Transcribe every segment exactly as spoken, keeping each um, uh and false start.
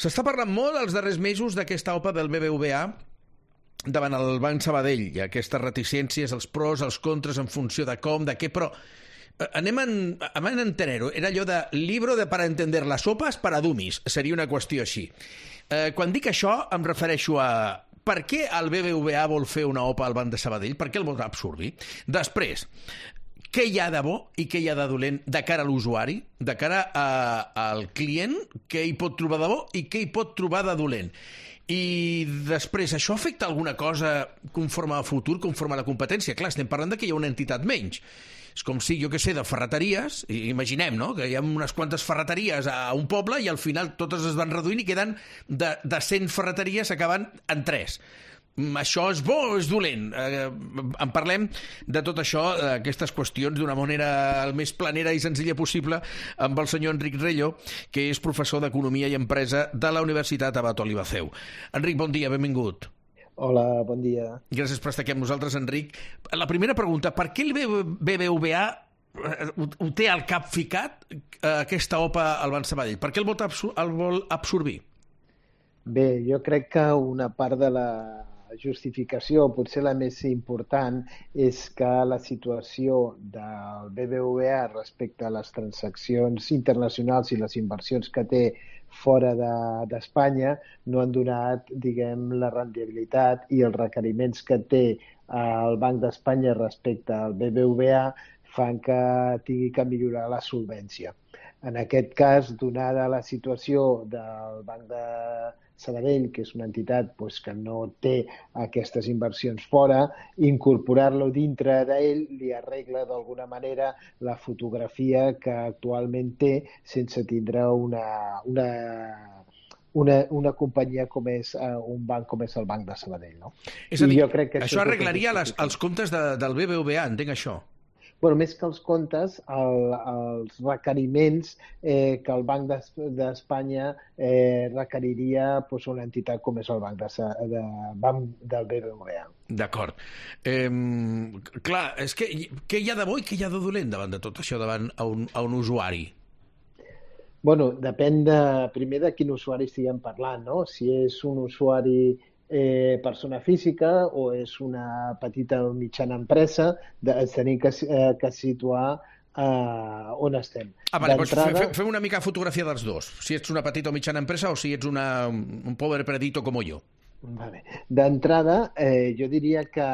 S'està parlant molt els darrers mesos d'aquesta O P A del B B V A davant el Banc Sabadell, i aquestes reticències, els pros, els contres, en funció de com, de què, però anem en, anem en entenero. Era allò de libro de para entender las sopas para dummies, seria una qüestió així. Eh, quan dic això em refereixo a per què el B B V A vol fer una O P A al Banc de Sabadell, per què el vol absorbir. Després, què hi ha de bo i què hi ha de dolent de cara a l'usuari, de cara a, al client, què hi pot trobar de bo i què hi pot trobar de dolent. I després, això afecta alguna cosa conforme al futur, conforme a la competència? Clar, estem parlant de que hi ha una entitat menys. És com si, jo què sé, de ferreteries, imaginem, no?, que hi ha unes quantes ferreteries a un poble i al final totes es van reduint i queden de, de cent ferreteries, s'acaben en tres. Això és bo o és dolent? Eh, en parlem de tot això, d'aquestes qüestions, d'una manera el més planera i senzilla possible amb el senyor Enric Rello, que és professor d'Economia i Empresa de la Universitat Abat Olivaceu. Enric, bon dia, benvingut. Hola, bon dia. Gràcies per estar aquí amb nosaltres, Enric. La primera pregunta, per què el B B V A ho té al cap ficat, aquesta O P A al Banc Sabadell? Per què el vol absorbir? Bé, jo crec que una part de la justificació, potser la més important, és que la situació del B B V A respecte a les transaccions internacionals i les inversions que té fora d'Espanya no han donat, diguem, la rendibilitat i els requeriments que té el Banc d'Espanya respecte al B B V A fan que tingui que millorar la solvència. En aquest cas, donada la situació del Banc de Sabadell, que és una entitat pues, que no té aquestes inversions fora, incorporar-lo dintre d'ell li arregla d'alguna manera la fotografia que actualment té sense tindre una, una, una, una companyia com és uh, un banc com és el Banc de Sabadell. No? És a dir, jo crec que això arreglaria les, els comptes de, del B B V A, entenc això? Bueno, més que els comptes, el, els requeriments eh, que el Banc d'Espanya eh, requeriria pues, una entitat com és el Banc, de, de, banc del B B V A. D'acord. Eh, clar, és que què hi ha de bo i què hi ha de dolent davant de tot això, davant a un, a un usuari? Bueno, depèn de, primer de quin usuari estiguem parlant, no? Si és un usuari Eh, persona física o és una petita o mitjana empresa, de, tenim que, eh, que situar eh, on estem. Ah, vale, doncs fem, fem una mica fotografia dels dos, si ets una petita o mitjana empresa o si ets una, un pobre predito com jo. Vale. D'entrada, eh, jo diria que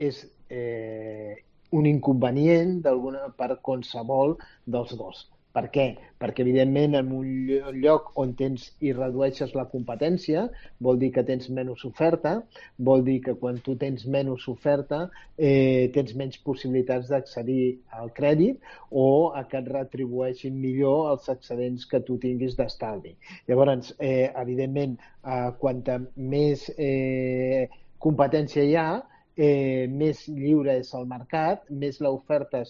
és eh, un inconvenient d'alguna per qualsevol dels dos. Per què? Perquè, evidentment, en un lloc on tens i redueixes la competència, vol dir que tens menys oferta, vol dir que quan tu tens menys oferta eh, tens menys possibilitats d'accedir al crèdit o a que et retribueixin millor els excedents que tu tinguis d'estalvi. Llavors, eh, evidentment, eh, quanta més eh, competència hi ha, Eh, més lliure és el mercat, més l'oferta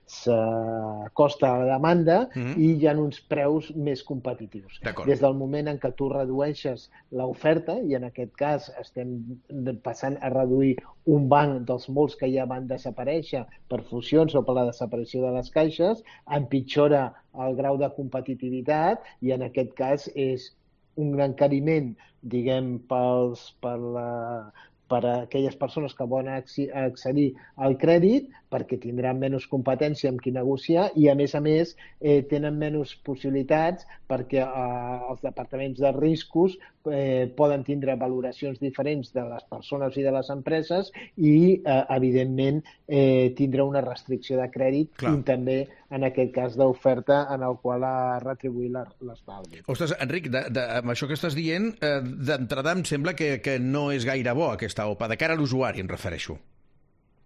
s'acosta a la demanda mm-hmm. i hi ha uns preus més competitius. Des del moment en què tu redueixes l'oferta, i en aquest cas estem passant a reduir un banc dels molts que ja van desaparèixer per fusions o per la desaparició de les caixes, empitjora el grau de competitivitat i en aquest cas és un encariment, diguem, pels, per la per a aquelles persones que volen accedir al crèdit perquè tindran menys competència amb qui negociar i, a més a més, eh, tenen menys possibilitats perquè eh, els departaments de riscos eh, poden tindre valoracions diferents de les persones i de les empreses i, eh, evidentment, eh, tindre una restricció de crèdit Clar. I també, en aquest cas, d'oferta en el qual ha retribuït l'estalvi. Ostres, Enric, de, de, amb això que estàs dient, eh, d'entrada em sembla que, que no és gaire bo aquesta O P A, de cara a l'usuari em refereixo.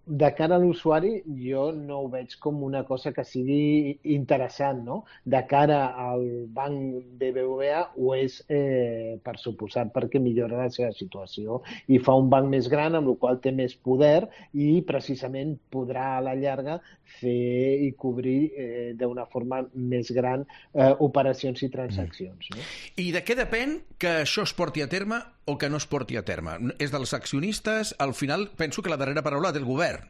De cara a l'usuari, jo no ho veig com una cosa que sigui interessant, no? De cara al banc B B V A ho és, eh, per suposat, perquè millora la seva situació i fa un banc més gran, amb el qual té més poder i precisament podrà a la llarga fer i cobrir eh, d'una forma més gran eh, operacions i transaccions. No? I de què depèn que això es porti a terme o que no es porti a terme? És dels accionistes? Al final penso que la darrera paraula té el govern.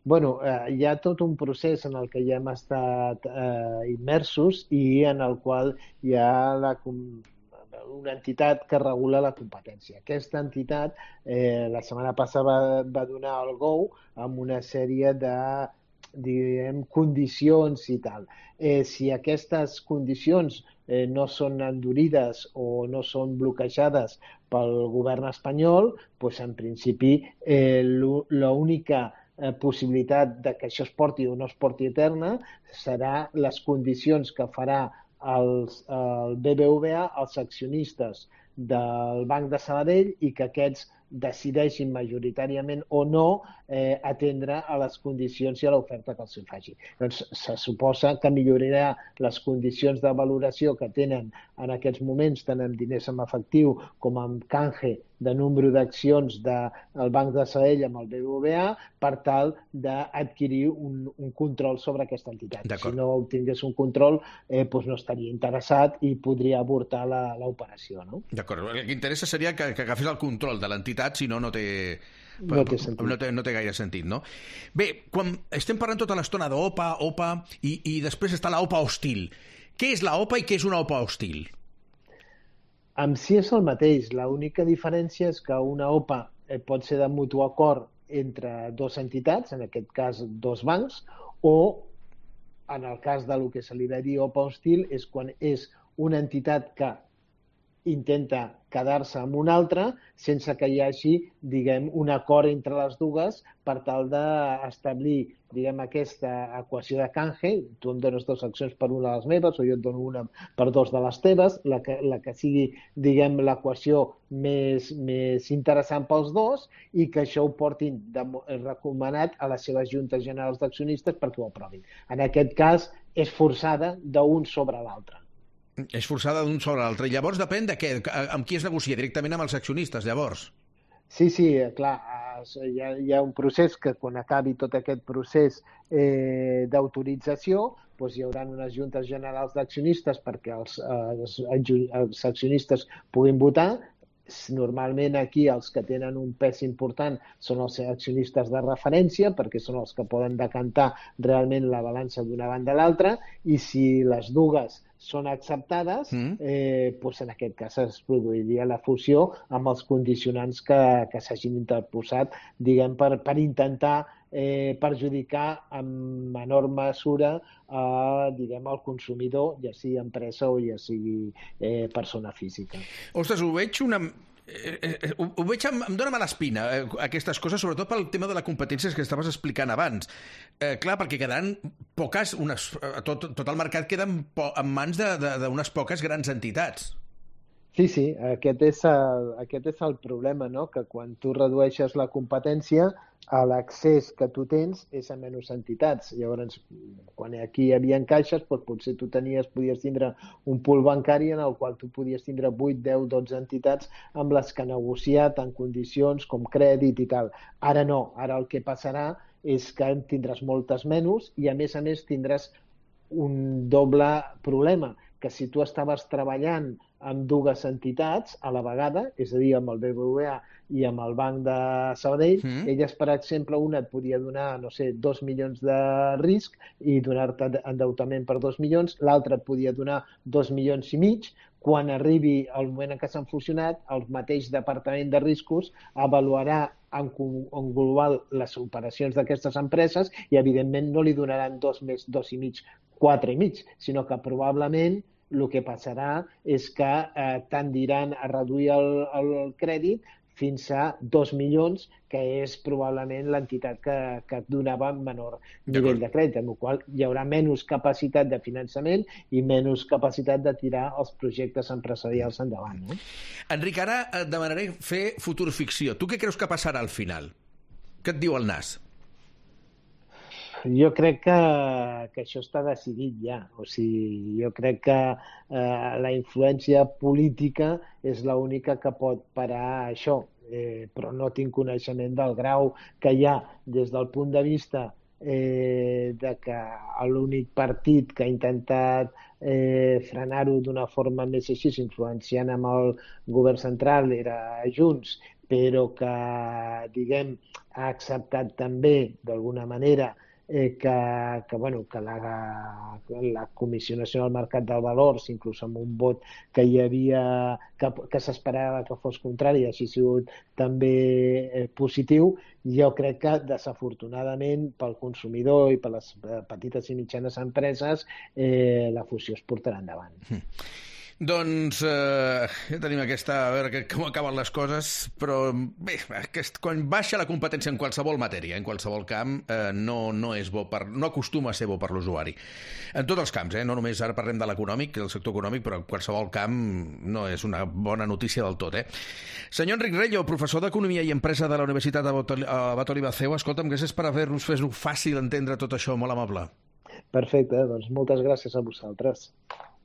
Bueno, eh, hi ha tot un procés en el que ja hem estat eh, immersos i en el qual hi ha la, una entitat que regula la competència. Aquesta entitat eh, la setmana passada va, va donar el go amb una sèrie de diguem, condicions i tal. Eh, si aquestes condicions eh, no són endurides o no són bloquejades pel govern espanyol, doncs en principi eh, l'única eh, possibilitat de que això es porti o no es porti a terme serà les condicions que farà els, el B B V A, els accionistes del Banc de Sabadell, i que aquests decideixin majoritàriament o no eh, atendre a les condicions i a l'oferta que els faci. Doncs se suposa que millorarà les condicions de valoració que tenen en aquests moments, tant amb diners en efectiu com amb canje de número d'accions del Banc de Sabadell amb el B B V A, per tal d'adquirir un, un control sobre aquesta entitat. Si no obtingués un control, eh, doncs no estaria interessat i podria avortar l'operació. No? D'acord. El que interessa seria que, que agafés el control de l'entitat, si no, no té... No té sentit. No té, no té gaire sentit, no? Bé, quan estem parlant tota l'estona d'OPA, OPA, i, i després està la OPA hostil. Què és la OPA i què és una OPA hostil? En si és el mateix. L'única diferència és que una OPA eh, pot ser de mutu acord entre dues entitats, en aquest cas dos bancs, o en el cas del que se li va dir OPA hostil és quan és una entitat que intenta quedar-se amb una altra sense que hi hagi, diguem, un acord entre les dues per tal d'establir, diguem, aquesta equació de canje. Tu em dones dues accions per una de les meves o jo et dono una per dos de les teves, la que, la que sigui, diguem, l'equació més, més interessant pels dos, i que això ho portin de, recomanat a les seves juntes generals d'accionistes perquè ho aprovin. En aquest cas és forçada d'un sobre l'altre. És forçada d'un sobre l'altre. I llavors depèn de què, amb qui es negocia, directament amb els accionistes, llavors? Sí, sí, clar, hi ha, hi ha un procés que quan acabi tot aquest procés eh, d'autorització, doncs hi haurà unes juntes generals d'accionistes perquè els, els, els accionistes puguin votar. Normalment aquí els que tenen un pes important són els accionistes de referència, perquè són els que poden decantar realment la balança d'una banda a l'altra, i si les dues són acceptades, mm. eh, doncs en aquest cas es produiria la fusió amb els condicionants que, que s'hagin interposat, diguem, per, per intentar eh, perjudicar en menor mesura a, diguem, al consumidor, ja sigui empresa o ja sigui eh, persona física. Ostres, ho veig una... Eh, eh, ho, ho veig, em, em dóna mala espina eh, aquestes coses, sobretot pel tema de la competència que estaves explicant abans. Eh, clar, perquè quedaran poques, unes, tot, tot el mercat queda en, en mans d'unes poques grans entitats. Sí, sí, aquest és el, aquest és el problema, no? Que quan tu redueixes la competència, l'accés que tu tens és a menys entitats. Llavors, quan aquí hi havia caixes, doncs potser tu tenies, podies tindre un pool bancari en el qual tu podies tindre vuit, deu, dotze entitats amb les que negociar tant condicions com crèdit i tal. Ara no, ara el que passarà és que tindràs moltes menys i a més a més tindràs un doble problema, que si tu estaves treballant amb dues entitats a la vegada, és a dir, amb el B B V A i amb el Banc de Sabadell, mm. elles, per exemple, una et podia donar, no sé, dos milions de risc i donar-te endeutament per dos milions, l'altra et podia donar dos milions i mig. Quan arribi el moment en què s'han fusionat, el mateix departament de riscos avaluarà en, en global les operacions d'aquestes empreses i, evidentment, no li donaran dos més dos i mig, quatre i mig, sinó que probablement el que passarà és que eh, tendiran a reduir el, el crèdit fins a dos milions, que és probablement l'entitat que, que donava menor nivell de crèdit, amb la qual hi haurà menys capacitat de finançament i menys capacitat de tirar els projectes empresarials endavant. No? Enric, ara et demanaré fer futurficció. Tu què creus que passarà al final? Què et diu el nas? Jo crec que, que això està decidit ja. O sigui, jo crec que eh, la influència política és l'única que pot parar això, eh, però no tinc coneixement del grau que hi ha des del punt de vista eh, de que l'únic partit que ha intentat eh, frenar-ho d'una forma més així, influenciant amb el govern central, era Junts, però que, diguem, ha acceptat també, d'alguna manera, eh, que, que, bueno, que la, la Comissió Nacional del Mercat del Valors, inclús amb un vot que hi havia, que, que s'esperava que fos contrari, així ha sigut també eh, positiu. Jo crec que, desafortunadament, pel consumidor i per les petites i mitjanes empreses, eh, la fusió es portarà endavant. Mm. Doncs eh, ja tenim aquesta, a veure com acaben les coses, però bé, aquest, quan baixa la competència en qualsevol matèria, en qualsevol camp, eh, no, no és bo per, no acostuma a ser bo per l'usuari. En tots els camps, eh? No només ara parlem de l'econòmic, del sector econòmic, però en qualsevol camp no és una bona notícia del tot. Eh? Senyor Enric Rello, professor d'Economia i Empresa de la Universitat Abat Oliva-Ceu, escolta'm, gràcies per haver-nos fet fàcil entendre tot això, molt amable. Perfecte, doncs moltes gràcies a vosaltres.